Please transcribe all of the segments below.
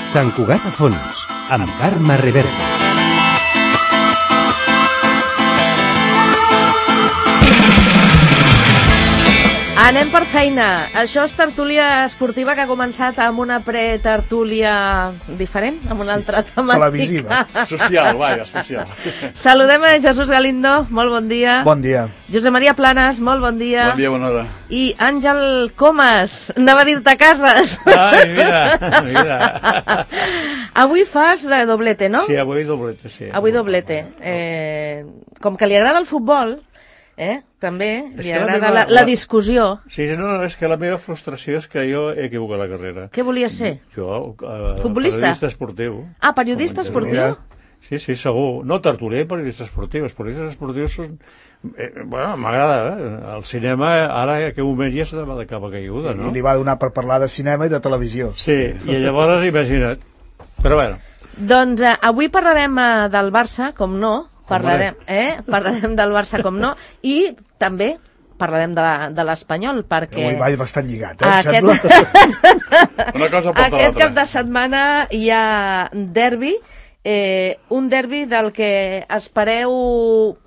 Sant Cugat a fons, amb Carme Reverte. Anem per feina. Això és tertúlia esportiva que ha començat amb una pretertúlia diferent, amb una altra temàtica. Televisiva. Social, vaja, social. Saludem a Jesús Galindo, molt bon dia. Bon dia. Josep Maria Planas, molt bon dia. Bon dia, bona hora. I Àngel Comas, anava a dir-te cases. Ai, mira. Avui fas doblete, no? Sí, avui doblete, sí. Avui doblete. Com que li agrada el futbol, també li agrada la discussió. Sí, no, és que la meva frustració és que jo he equivocat la carrera. Què volies ser? Jo, futbolista? Periodista esportiu. Ah, periodista esportiu? Sí, segur. No tertulià, periodista esportiu. Els periodistes esportius són... bueno, m'agrada, El cinema, ara en aquell moment ja se va de capa caiguda, no? I li va donar per parlar de cinema i de televisió. Sí, i llavors, imagina't. Però bueno. Doncs avui parlarem del Barça, com no. Parlarem del Barça, com no, i també parlarem de l'Espanyol, perquè... Avui va bastant lligat, Una cosa porta l'altra. Aquest cap de setmana hi ha derbi, un derbi del que espereu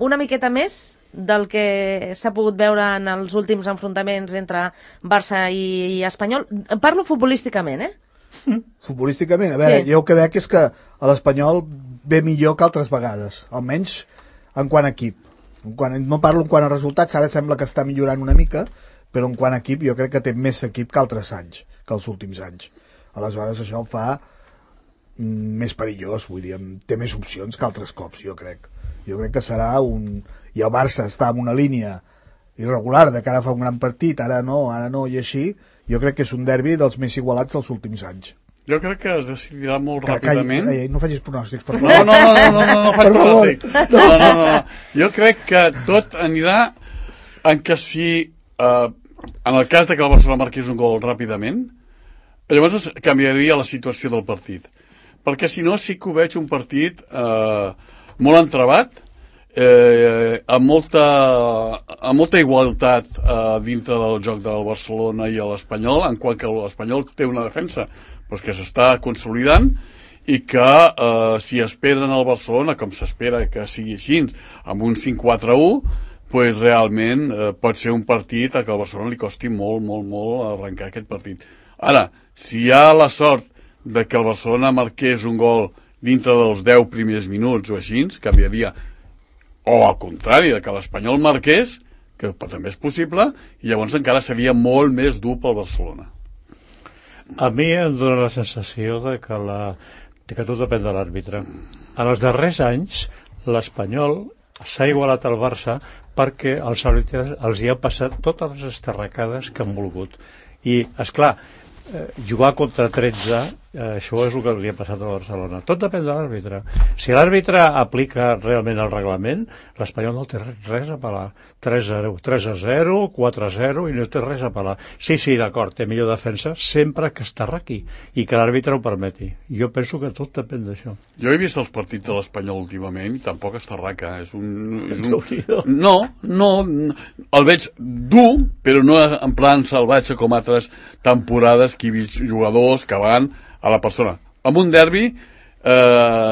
una miqueta més del que s'ha pogut veure en els últims enfrontaments entre Barça i Espanyol. Parlo futbolísticament, Futbolísticament, a veure, jo el que veig és que l'Espanyol ve millor que altres vegades, almenys en quant a equip. No parlo en quant a resultats, ara sembla que està millorant una mica, però en quant a equip jo crec que té més equip que altres anys, que els últims anys. Aleshores això el fa més perillós, vull dir, té més opcions que altres cops, jo crec. Jo crec que serà un... I el Barça està en una línia irregular de cara a fa un gran partit, ara no, i així. Jo crec que és un derbi dels més igualats dels últims anys. Jo crec que es decidirà molt ràpidament. No facis pronòstics, per favor. No faig pronòstics. No. Jo crec que tot anirà en que si, en el cas de que el Barcelona marqués un gol ràpidament, llavors canviaria la situació del partit. Perquè si no, sí que ho veig un partit molt entrebat, amb molta igualtat dintre del joc del Barcelona i l'Espanyol, en quant que l'Espanyol té una defensa que s'està consolidant i que si esperen al Barcelona, com s'espera que sigui així, amb un 5-4-1, realment pot ser un partit a què al Barcelona li costi molt arrencar aquest partit. Ara, si hi ha la sort de que el Barcelona marqués un gol dintre dels 10 primers minuts o així, canviaria. O al contrari, que l'Espanyol marqués, que també és possible, i llavors encara seria molt més dur pel Barcelona. A mi em dóna la sensació de que tot depèn de l'àrbitre. En els darrers anys, l'Espanyol s'ha igualat al Barça perquè els àrbitres els hi han passat totes les estarracades que han volgut. I, esclar, jugar contra 13, això és el que li ha passat a Barcelona. Tot depèn de l'àrbitre. Si l'àrbitre aplica realment el reglament, l'Espanyol no té res a pelar. 3-0, 3-0, 4-0 i no té res a pelar. Sí, d'acord, té millor defensa sempre que està raqui i que l'àrbitre ho permeti. Jo penso que tot depèn d'això. Jo he vist els partits de l'Espanyol últimament i tampoc està raca. No, el veig dur, però no en plan salvatge com altres temporades que he vist jugadors que van a la persona. Amb un derbi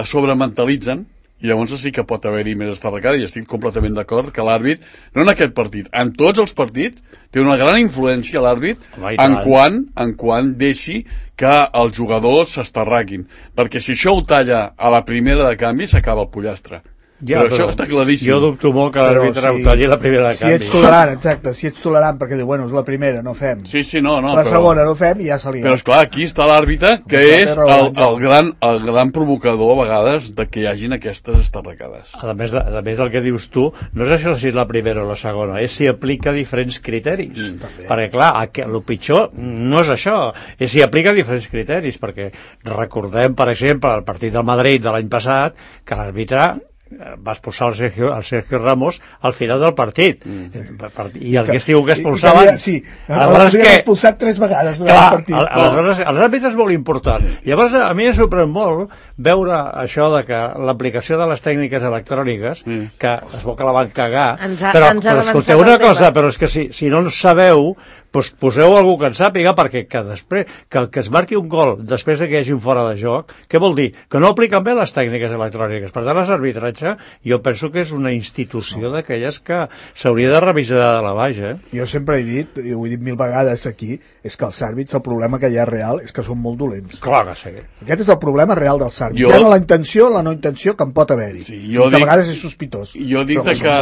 sobrementalitzen i llavors sí que pot haver-hi més estarracada i estic completament d'acord que l'àrbit, no en aquest partit, en tots els partits, té una gran influència l'àrbit en quant deixi que els jugadors s'estarraquin. Perquè si això ho talla a la primera de canvi, s'acaba el pollastre. Ja, però això està claríssim. Jo dubto molt que l'àrbitre ho talli la primera de canvi. Si ets tolerant, exacte, si ets tolerant perquè diu, bueno, és la primera, no fem. Sí, no. La segona no fem i ja se li... Però esclar, aquí està l'àrbitre, que és el gran provocador a vegades de que hi hagin aquestes estarracades. A més del que dius tu, no és això si és la primera o la segona, és si aplica diferents criteris. Perquè clar, el pitjor no és això, és si aplica diferents criteris, perquè recordem, per exemple, el partit del Madrid de l'any passat, que l'àrbitre va expulsar el Sergio Ramos al final del partit. I el que es diu que expulsaven... Sí, l'havien expulsat 3 vegades durant el partit. Aleshores, l'àrbitre és molt important. Llavors, a mi em sorprèn molt veure això de que l'aplicació de les tècniques electròniques, que es veu que la van cagar, però escolteu una cosa, però és que si no en sabeu, doncs poseu algú que en sàpiga, perquè després que es marqui un gol després que hi hagi un fora de joc, què vol dir? Que no apliquen bé les tècniques electròniques. Per tant, l'arbitratge jo penso que és una institució d'aquelles que s'hauria de revisar de la baixa. Jo sempre he dit, i ho he dit 1000 vegades aquí, és que els àrbits, el problema que hi ha real és que són molt dolents. Clar que sí. Aquest és el problema real dels àrbits. Hi ha la intenció, la no intenció que en pot haver-hi. Sí, que a vegades és sospitós. Jo dic que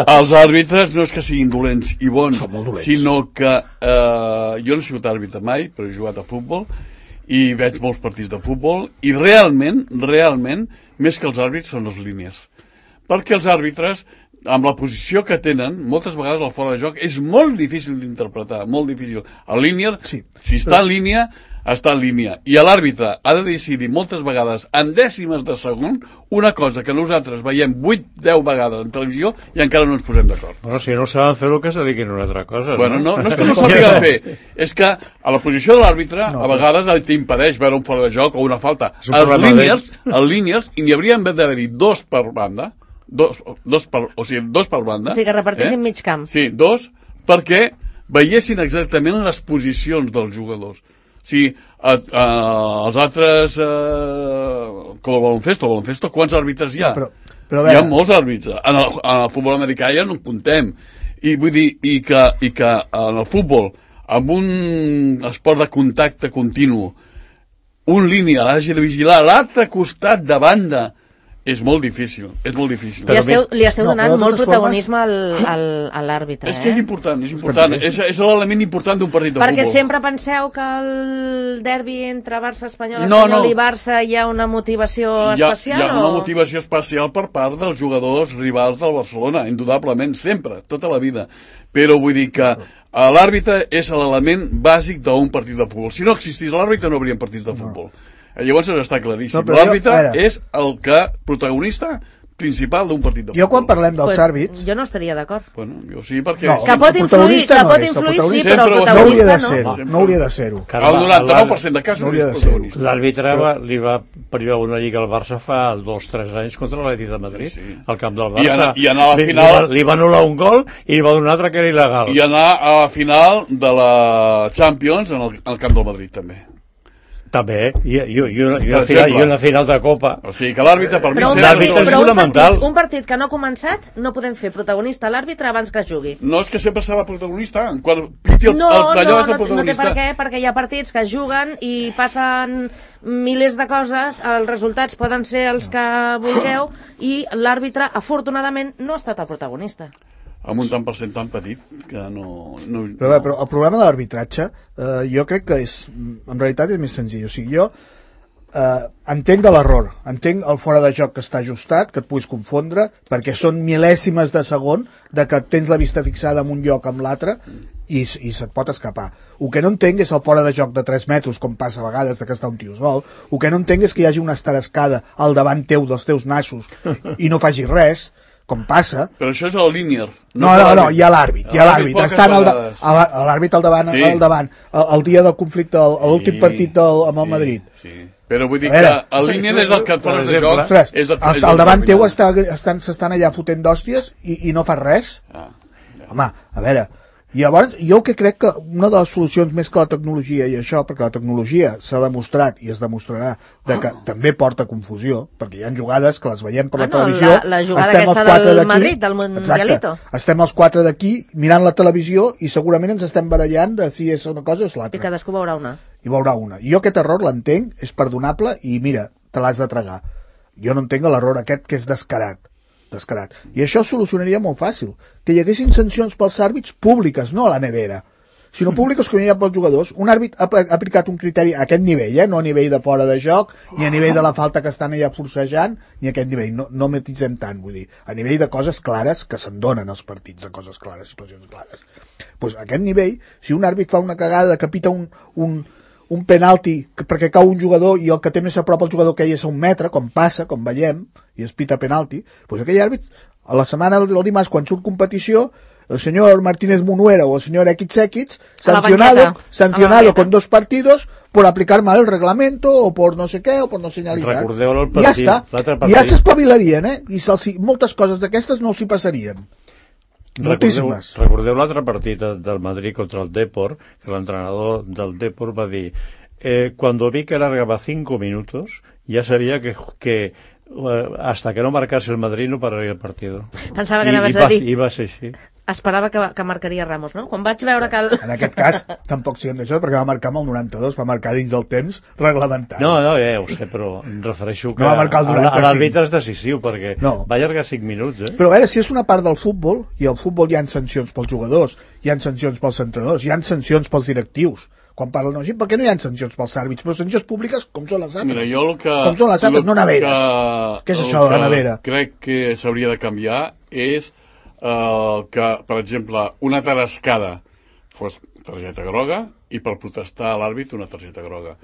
els àrbitres no és que siguin dolents i bons, sinó que jo no he sigut àrbitre mai, però he jugat a futbol i veig molts partits de futbol i realment, més que els àrbits són les línies. Perquè els àrbitres, amb la posició que tenen, moltes vegades el fora de joc és molt difícil d'interpretar, molt difícil. El línia, si està en línia, està en línia. I l'àrbitre ha de decidir moltes vegades, en dècimes de segon, una cosa que nosaltres veiem 8-10 vegades en televisió i encara no ens posem d'acord. Bueno, si no saben fer-ho, que se dediquin a una altra cosa. Bueno, no és que no sàpiga fer, és que a la posició de l'àrbitre a vegades t'impedeix veure un fora de joc o una falta. Els línies, i n'hi haurien d'haver-hi 2 per banda, dos per banda. O sigui, que repartissin mig camp. Sí, 2, perquè veiessin exactament les posicions dels jugadors. Sí, els altres com el baloncesto, quants àrbitres hi ha? Hi ha molts àrbitres. En el futbol americà ja no en comptem. I vull dir, i que en el futbol, amb un esport de contacte continu, un línia l'hagi de vigilar a l'altre costat de banda, és molt difícil, Li esteu donant molt protagonisme a l'àrbitre. És que és important, és l'element important d'un partit de futbol. Perquè sempre penseu que el derbi entre Barça, Espanyol i Barça hi ha una motivació especial? Hi ha una motivació especial per part dels jugadors rivals del Barcelona, indudablement, sempre, tota la vida. Però vull dir que l'àrbitre és l'element bàsic d'un partit de futbol. Si no existís l'àrbitre no hauríem partits de futbol. Llavors està claríssim. L'àrbitre és el protagonista principal d'un partit de futbol. Jo quan parlem dels àrbits... Jo no estaria d'acord. Bueno, jo sí, perquè... Que pot influir, sí, però el protagonista no. No hauria de ser-ho. El 99% de casos és protagonista. L'àrbitre li va privar una lliga al Barça fa 2-3 anys contra l'Atlètic de Madrid, al camp del Barça. I anar a la final... Li va anul·lar un gol i li va donar un altre que era il·legal. I anar a la final de la Champions en el camp del Madrid, també. També, i una final de Copa. O sigui que l'àrbitre per mi l'àrbitre és fonamental. Un partit que no ha començat no podem fer protagonista l'àrbitre abans que jugui. No, és que sempre serà protagonista. No té per què, perquè hi ha partits que es juguen i passen milers de coses, els resultats poden ser els que vulgueu i l'àrbitre afortunadament no ha estat el protagonista. Amb un tant per cent tan petit que no... Però el problema de l'arbitratge jo crec que en realitat és més senzill. O sigui, jo entenc l'error, entenc el fora de joc que està ajustat, que et puguis confondre, perquè són mil·lèsimes de segon de que tens la vista fixada en un lloc amb l'altre i se't pot escapar. El que no entenc és el fora de joc de 3 metres, com passa a vegades que està un tio sol. El que no entenc és que hi hagi una estarescada al davant teu dels teus nassos i no facis res, com passa. Però això és el linear. No, hi ha l'àrbit. L'àrbit al davant. El dia del conflicte, l'últim partit amb el Madrid. Sí. Però vull dir que el linear és el que et fora de joc. Al davant teu s'estan allà fotent d'hòsties i no fas res. Home, a veure... I llavors, jo que crec que una de les solucions més que la tecnologia i això, perquè la tecnologia s'ha demostrat i es demostrarà de que també porta confusió, perquè hi ha jugades que les veiem per la televisió, la jugada aquesta del Madrid, del Mundialito. Estem els 4 d'aquí mirant la televisió i segurament ens estem barallant de si és una cosa o és l'altra. I cadascú veurà una. I veurà una. I jo aquest error l'entenc, és perdonable i mira, te l'has de tragar. Jo no entenc l'error aquest que és descarat. I això es solucionaria molt fàcil, que hi haguessin sancions pels àrbits públiques, no a la nevera, sinó públiques que hi ha pels jugadors. Un àrbit ha aplicat un criteri a aquest nivell, no a nivell de fora de joc, ni a nivell de la falta que estan allà forcejant, ni a aquest nivell, no matitzem tant, vull dir, a nivell de coses clares que se'n donen als partits, de coses clares, situacions clares. Doncs a aquest nivell, si un àrbit fa una cagada que pita un penalti perquè cau un jugador i el que té més a prop al jugador que ell és a 1 metre, com passa, com veiem, i es pita penalti, doncs aquell àrbit, a la setmana del dimarts, quan surt competició, el senyor Martínez Munuera o el senyor X sancionado con 2 partidos por aplicar mal el reglamento o por no sé què o por no señalizar. Recordeu el partit, ja està, ja s'espavilarien, i moltes coses d'aquestes no s'hi passarien. Moltíssimes. Recordeu l'altre partit del Madrid contra el Depor, que l'entrenador del Depor va dir cuando vi que alargaba 5 minutos ya sabía que hasta que no marcase el Madrid no pararia el partido. Pensava que anaves a dir... I va ser així. Esperava que marcaria Ramos, no? Quan vaig veure que... En aquest cas, tampoc siguem d'això, perquè va marcar amb el 92, va marcar dins del temps reglamentari. No, ja ho sé, però em refereixo que no va marcar el 95. l'àrbitre és decisiu, perquè va allargar 5 minuts, Però a veure, si és una part del futbol, i al futbol hi ha sancions pels jugadors, hi ha sancions pels entrenadors, hi ha sancions pels directius, quan parlen així, per què no hi ha sancions pels àrbits? Però sancions públiques com són les altres. Com són les altres, no neveres. Què és això de la nevera? Crec que s'hauria de canviar és que, per exemple, una tarascada fos targeta groga i per protestar a l'àrbit una targeta groga.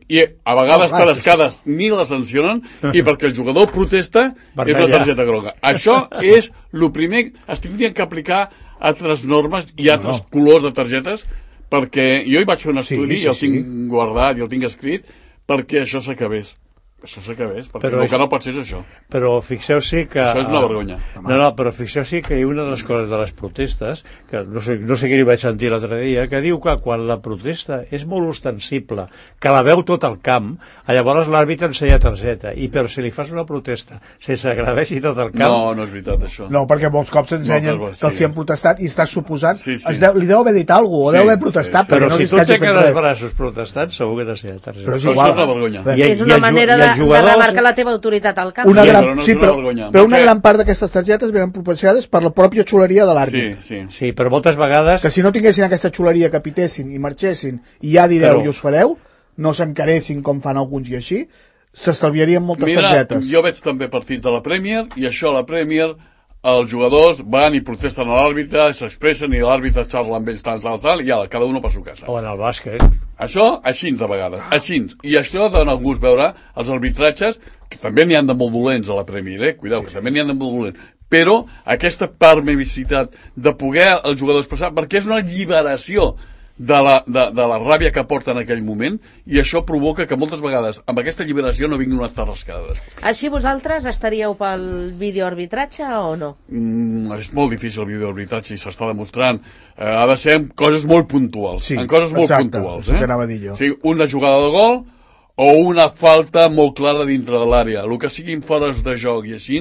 I a vegades tarascades ni la sancionen i perquè el jugador protesta és la targeta groga. Això és el primer. Es tindrien que aplicar altres normes i altres colors de targetes perquè jo hi vaig fer un estudi i el tinc guardat i el tinc escrit perquè això s'acabés. Perquè el que no pot ser és això. Però fixeu-s'hi que... Això és una vergonya. No, però fixeu-s'hi que una de les coses de les protestes, que no sé qui li vaig sentir l'altre dia, que diu que quan la protesta és molt ostensible, que la veu tot el camp, llavors l'àrbitre ensenya targeta, però si li fas una protesta sense agradeixi tot el camp... No és veritat, això. No, perquè molts cops ensenyen que els hi han protestat i estàs suposant... Li deu haver dit alguna cosa, o deu haver protestat, però si tu aixeques els braços protestant, segur que t'ensenya targeta. Però és igual. Això és una vergonya. És una manera de remarcar la teva autoritat al camp. Però una gran part d'aquestes targetes venen proporcionades per la pròpia xuleria de l'àrbit. Sí, però moltes vegades... Que si no tinguessin aquesta xuleria que pitessin i marxessin i ja direu i us fareu, no s'encaressin com fan alguns i així, s'estalviarien moltes targetes. Jo veig també partits de la Premier i això a la Premier els jugadors van i protesten a l'àrbitre, s'expressen i l'àrbitre xarla amb ells tal, i cada un per su casa. O en el bàsquet. Això, així de vegades, així. I això dona gust veure els arbitratges, que també n'hi ha de molt dolents a la Premier, cuidao, que també n'hi ha de molt dolents. Però aquesta permissivitat de poder el jugador expressar, perquè és una alliberació de la ràbia que porta en aquell moment, i això provoca que moltes vegades amb aquesta alliberació no vinguin unes tarrascades. Així vosaltres estaríeu pel videoarbitratge o no? És molt difícil el videoarbitratge i s'està demostrant. Ha de ser en coses molt puntuals. Sí, en coses molt exacte, puntuals. és el que anava a dir jo. O sigui, una jugada de gol o una falta molt clara dintre de l'àrea. El que siguin fores de joc i així...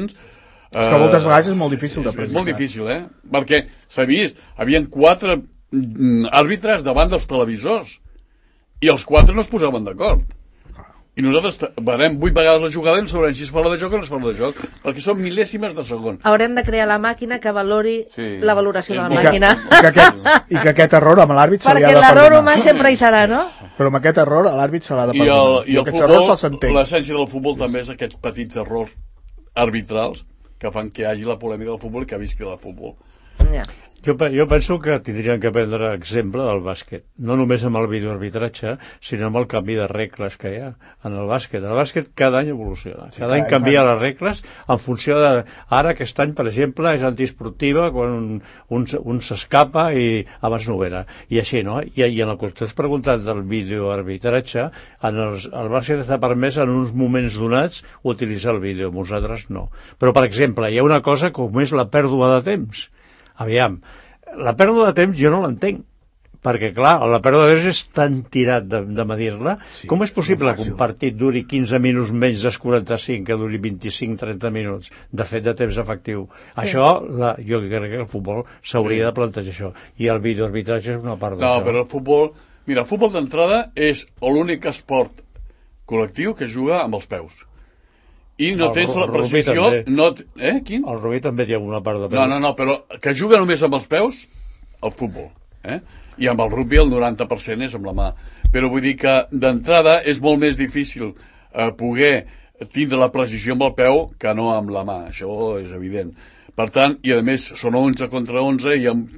És que moltes vegades és molt difícil de precisar. És molt difícil, perquè s'ha vist, havien 4 àrbitres davant dels televisors i els 4 no es posaven d'acord i nosaltres veurem 8 vegades la jugada i no sabrem si és fora de joc o no és fora de joc perquè són mil·lèsimes de segon. Haurem de crear la màquina que valori la valoració de la màquina i que aquest error amb l'àrbit se li ha de perdonar, perquè l'error humà no? sempre hi serà, no? Però amb aquest error a l'àrbit se l'ha de perdonar i aquests errors se'ls entén. L'essència del futbol també és aquests petits errors arbitrals que fan que hi hagi la polèmica del futbol i que visqui el futbol. Jo penso que tindrien que prendre exemple del bàsquet, no només amb el videoarbitratge, sinó amb el canvi de regles que hi ha en el bàsquet. El bàsquet cada any evoluciona, cada any canvia les regles en funció de... Ara aquest any, per exemple, és antiesportiva quan un s'escapa i abans no ho era. I així, no? I en el que t'has preguntat del videoarbitratge, el bàsquet està permès en uns moments donats utilitzar el vídeo, nosaltres no. Però, per exemple, hi ha una cosa com és la pèrdua de temps. Aviam, la pèrdua de temps jo no l'entenc, perquè clar, la pèrdua de temps és tan tirat de medir-la, com és possible que un partit duri 15 minuts menys dels 45 que duri 25-30 minuts de fet de temps efectiu? Això, jo crec que el futbol s'hauria de plantejar això, i el videoarbitratge és una part d'això. No, però el futbol, mira, el futbol d'entrada és l'únic esport col·lectiu que juga amb els peus. I no tens la precisió... Quin? El rugby també té alguna part de peus. No, però que juga només amb els peus, el futbol. I amb el rugby el 90% és amb la mà. Però vull dir que d'entrada és molt més difícil poder tindre la precisió amb el peu que no amb la mà. Això és evident. Per tant, i a més són 11 contra 11 i amb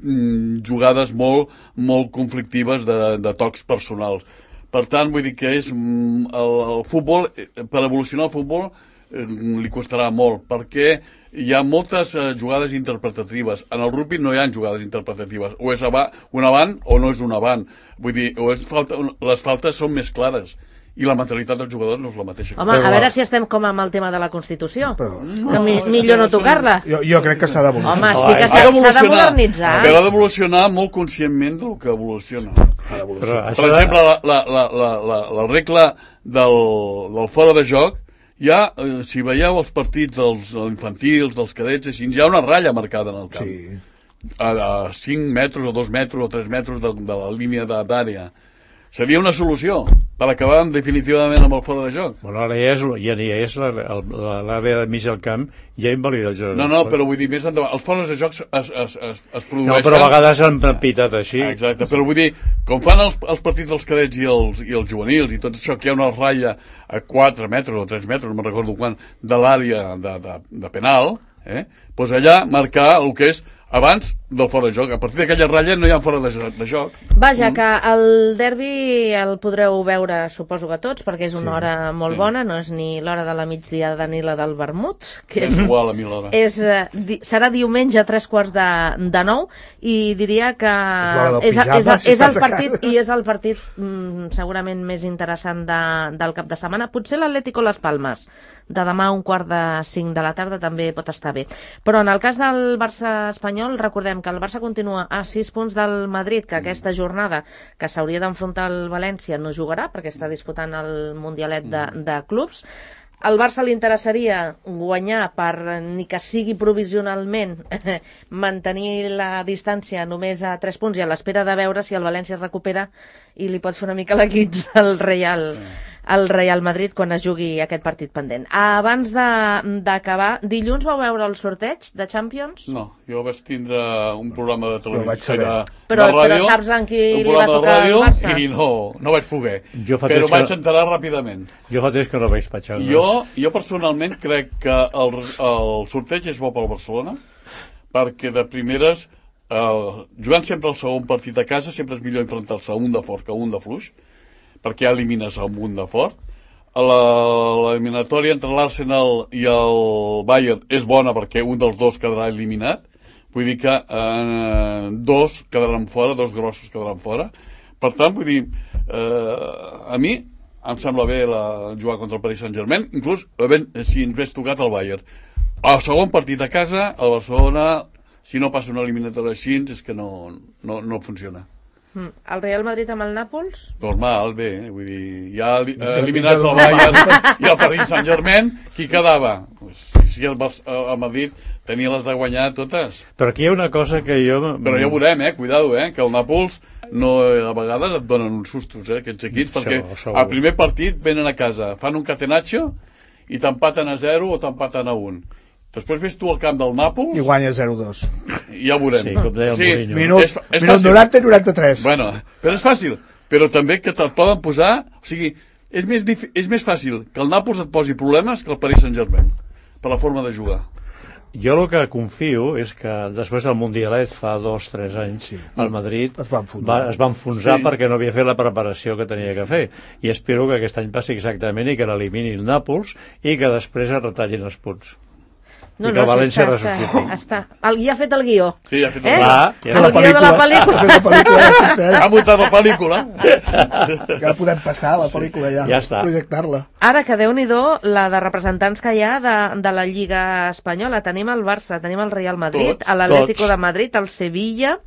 jugades molt conflictives de tocs personals. Per tant, vull dir que és el futbol, per evolucionar el futbol li costarà molt, perquè hi ha moltes jugades interpretatives. En el rugby no hi ha jugades interpretatives. O és un avant o no és un avant. Vull dir, les faltes són més clares. I la mentalitat dels jugadors no és la mateixa. Home, a veure si estem com amb el tema de la Constitució. Que millor no tocar-la. Jo crec que s'ha d'evolucionar. Home, sí que s'ha de modernitzar. Però ha d'evolucionar molt conscientment del que evoluciona. Per exemple, la regla del fora de joc, ja, si veieu els partits dels infantils, dels cadets, així, hi ha una ratlla marcada en el camp. Sí. A 5 metres o 2 metres o 3 metres de la línia d'àrea. Seria una solució per acabar definitivament amb el fora de joc. Bueno, ara ja és l'àrea de mig del camp, ja invalida el joc. No, però vull dir, més endavant, els fores de jocs es produeixen... No, però a vegades han pitat així. Exacte, però vull dir, com fan els partits dels cadets i els juvenils i tot això, que hi ha una ratlla a 4 metres o 3 metres, no me'n recordo quan, de l'àrea de penal, doncs allà marcar el que és abans del fora de joc. A partir d'aquella ratlla no hi ha fora de joc. Vaja, que el derbi el podreu veure, suposo que tots, perquè és una hora molt bona, no és ni l'hora de la migdiada ni la del vermut. Que és igual a mi l'hora. Serà diumenge a 8:45 i diria que és el partit i és el partit segurament més interessant del cap de setmana. Potser l'Atlético Las Palmas de demà a 4:45 de la tarda també pot estar bé. Però en el cas del Barça espanyol, recordem que el Barça continua a 6 punts del Madrid, que aquesta jornada que s'hauria d'enfrontar al València no jugarà perquè està disputant el Mundialet de clubs. Al Barça li interessaria guanyar per, ni que sigui provisionalment, mantenir la distància només a 3 punts i a l'espera de veure si el València es recupera i li pot fer una mica la guitza al Real Madrid quan es jugui aquest partit pendent. Abans d'acabar, dilluns vau veure el sorteig de Champions? No, jo vaig tindre un programa de televisió de ràdio. Però saps en qui li va tocar el Barça? I no vaig poder. Però vaig enterar ràpidament. Jo fa temps que no veig patxar. Jo personalment crec que el sorteig és bo pel Barcelona, perquè de primeres, jugant sempre el segon partit a casa, sempre és millor enfrontar-se a un de fort que a un de fluix, perquè ja elimines el munt de fort. L'eliminatòria entre l'Arsenal i el Bayern és bona perquè un dels dos quedarà eliminat. Vull dir que dos quedaran fora, dos grossos quedaran fora. Per tant, vull dir, a mi em sembla bé jugar contra el Paris Saint-Germain, inclús si ens hagués tocat el Bayern. El segon partit a casa, el Barcelona, si no passa una eliminatòria així, és que no funciona. El Real Madrid amb el Nàpols? Normal, bé, vull dir, ja eliminats el Bayern i el Paris Saint-Germain, qui quedava? Si el Madrid tenia les de guanyar totes. Però aquí hi ha una cosa que jo... Però ja ho veurem, cuidado, que el Nàpols a vegades et donen uns sustos, aquests equips, perquè al primer partit venen a casa, fan un catenaccio i t'empaten a 0 o t'empaten a 1. Després ves tu al camp del Nàpols... I guanya 0-2. Ja ho veurem. Sí, com deia el Mourinho. Minut 90 i 93. Bueno, però és fàcil. Però també que te'l poden posar... O sigui, és més fàcil que el Nàpols et posi problemes que el Paris Saint-Germain, per la forma de jugar. Jo el que confio és que després del Mundialet fa 2-3 anys el Madrid es va enfonsar perquè no havia fet la preparació que tenia que fer, i espero que aquest any passi exactament i que l'elimini el Nàpols i que després es retallin els punts. No, València està. Ja ha fet el guió. Sí, ja ha fet el guió. El guió de la pel·lícula. Ha muntat la pel·lícula. Que la podem passar, la pel·lícula ja. Ja està. Projectar-la. Ara que Déu-n'hi-do la de representants que hi ha de la Lliga Espanyola. Tenim el Barça, tenim el Real Madrid, l'Atlético de Madrid, el Sevilla.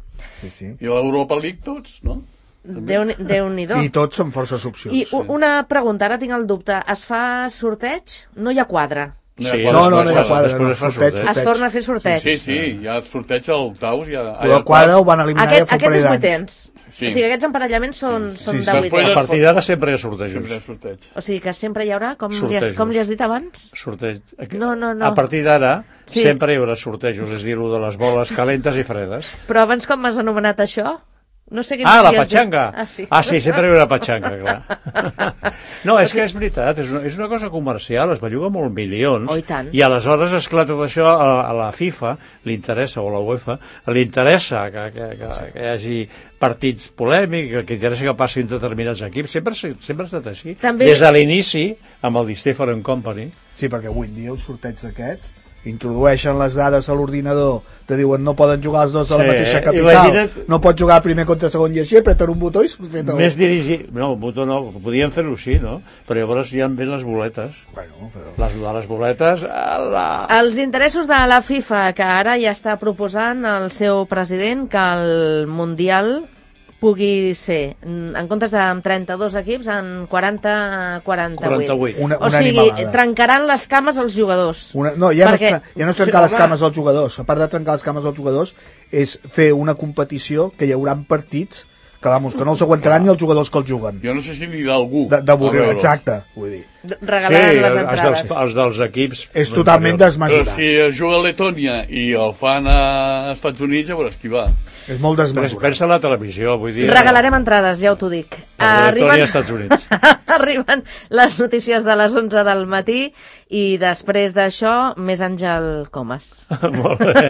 I l'Europa League tots, no? Déu-n'hi-do. I tots són forces opcions. I una pregunta, ara tinc el dubte. Es fa sorteig? No hi ha quadre. No hi ha quadre. Es torna a fer sorteig. Sí, hi ha sorteig a l'octaus. El quadre ho van eliminar ja fa un parell d'anys. Aquests vuitens. O sigui, aquests emparellaments són de vuitens. A partir d'ara sempre hi ha sortejos. O sigui que sempre hi haurà, com li has dit abans? Sorteig. No. A partir d'ara sempre hi haurà sortejos, és a dir, de les boles calentes i fredes. Però abans com m'has anomenat això? No sé La patxanga! Sí, sempre hi ha una patxanga, clar. No, és que és veritat, és una cosa comercial, es belluga molt milions, Oh, i tant. i aleshores, esclar, tot això a la FIFA li interessa, o a la UEFA, li interessa que hi hagi partits polèmics, que interessa que passin determinats equips, sempre ha estat així. També... Des de l'inici, amb el Di Stefano Company. Sí, perquè avui en dia els sorteig d'aquests introdueixen les dades a l'ordinador, te diuen no poden jugar els dos de la mateixa capital, imagina't... no pots jugar primer contra segon i així, apreten un botó i s'ha fet el... Més dirigit... No, el botó no, podien fer-ho així, no? Però llavors ja en ven les boletes. Bueno, però... Les boletes... Els interessos de la FIFA, que ara ja està proposant el seu president que el Mundial pugui ser, en comptes de 32 equips, en 40-48. O sigui, trencaran les cames als jugadors. No, ja no és trencar les cames als jugadors. A part de trencar les cames als jugadors, és fer una competició que hi haurà partits que no els aguantaran ni els jugadors que els juguen. Jo no sé si anirà algú. D'avorrir, exacte, vull dir. Regalaran les entrades. Els dels equips... És totalment desmesurat. Però si es juga a Letònia i el fan a Estats Units, ja veuràs qui va. És molt desmesurat. Pensa en la televisió, vull dir... Regalarem entrades, ja t'ho dic. Letònia, Estats Units. Arriben les notícies de les 11 del matí i després d'això, més Àngel Comas. Molt bé.